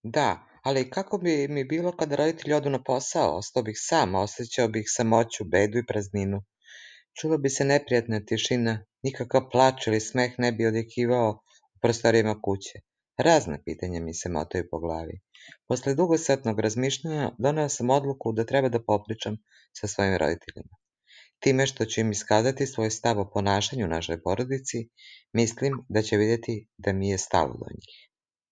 Da, ali kako bi mi bilo kada roditelji odu na posao? Ostao bih sam, osjećao bih samoću, bedu i prazninu. Čula bi se neprijatna tišina, nikakav plač ili smeh ne bi odjekivao u prostorijama kuće. Razna pitanja mi se motaju po glavi. Posle dugosatnog razmišljanja doneo sam odluku da treba da popričam sa svojim roditeljima. Time što ću im iskazati svoj stav o ponašanju u našoj porodici, mislim da će vidjeti da mi je stalo do njih.